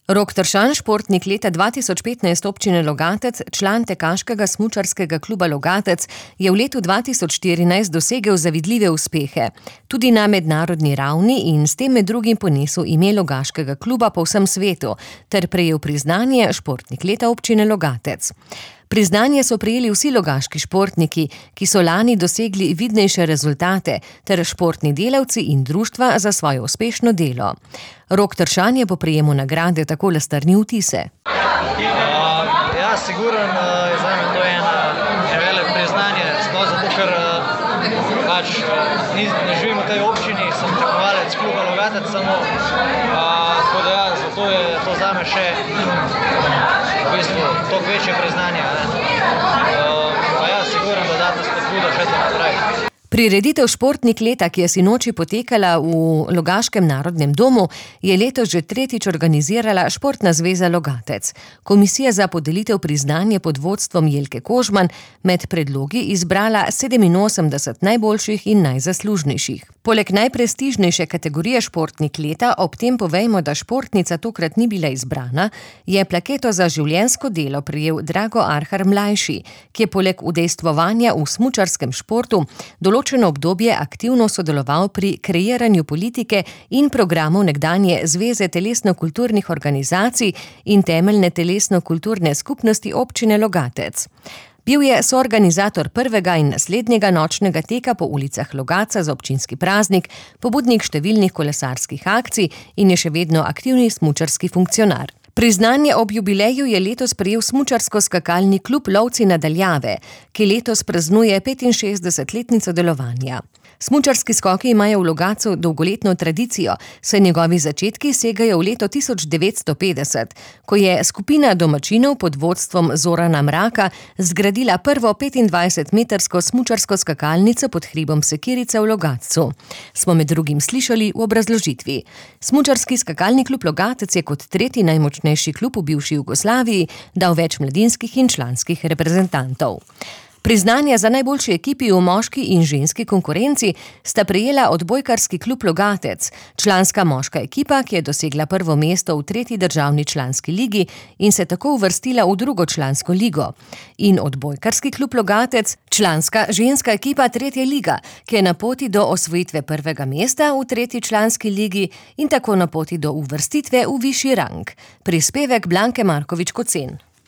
Rok Tršan, športnik leta 2015 občine Logatec, član tekaškega smučarskega kluba Logatec, je v letu 2014 dosegel zavidljive uspehe. Tudi na mednarodni ravni in s tem med drugim ponesel ime logaškega kluba po vsem svetu, ter prejel priznanje športnik leta občine Logatec. Priznanje so prejeli vsi logaški športniki, ki so lani dosegli vidnejše rezultate, ter športni delavci in društva za svoje uspešno delo. Rok Tršan je po prejemu nagrade takole strnil vtise. Ja, sigurno je zame to eno veliko priznanje, sploh zato, ker ne živim v tej občini, sem tekmovalec kluba Logatec samo, tako da ja, zato je to zame še v bistvu toliko večje priznanje. Pa ja, sigurno dodatna spodbuda še za naprej. Prireditev Športnik leta, ki je sinoči potekala v Logaškem narodnem domu, je letos že tretjič organizirala Športna zveza Logatec. Komisija za podelitev priznanja pod vodstvom Jelke Kožman med predlogi izbrala 87 najboljših in najzaslužnejših. Poleg najprestižnejše kategorije Športnik leta, ob tem povejmo, da športnica tokrat ni bila izbrana, je plaketo za življenjsko delo prejel Drago Arhar mlajši, ki je poleg udejstvovanja v smučarskem športu določeno obdobje aktivno sodeloval pri kreiranju politike in programov nekdanje Zveze telesno-kulturnih organizacij in temeljne telesno-kulturne skupnosti občine Logatec. Bil je soorganizator prvega in naslednjega nočnega teka po ulicah Logatca za občinski praznik, pobudnik številnih kolesarskih akcij in je še vedno aktivni smučarski funkcionar. Priznanje ob jubileju je letos prejel smučarsko-skakalni klub Lovci na daljave, ki letos praznuje 65-letnico delovanja. Smučarski skoki imajo v Logatcu dolgoletno tradicijo, saj njegovi začetki segajo v leto 1950, ko je skupina domačinov pod vodstvom Zorana Mraka zgradila prvo 25-metrsko smučarsko skakalnico pod hribom Sekirica v Logatcu. Smo med drugim slišali v obrazložitvi. Smučarski skakalni klub Logatec je kot tretji najmočnejši klub v bivši Jugoslaviji dal več mladinskih in članskih reprezentantov. Priznanja za najboljši ekipi v moški in ženski konkurenci sta prejela odbojkarski klub Logatec, članska moška ekipa, ki je dosegla prvo mesto v tretji državni članski ligi in se tako uvrstila v drugo člansko ligo, in odbojkarski klub Logatec, članska ženska ekipa tretje liga, ki je na poti do osvojitve prvega mesta v tretji članski ligi in tako na poti do uvrstitve v višji rang. Prispevek Blanke Markovič Kocen.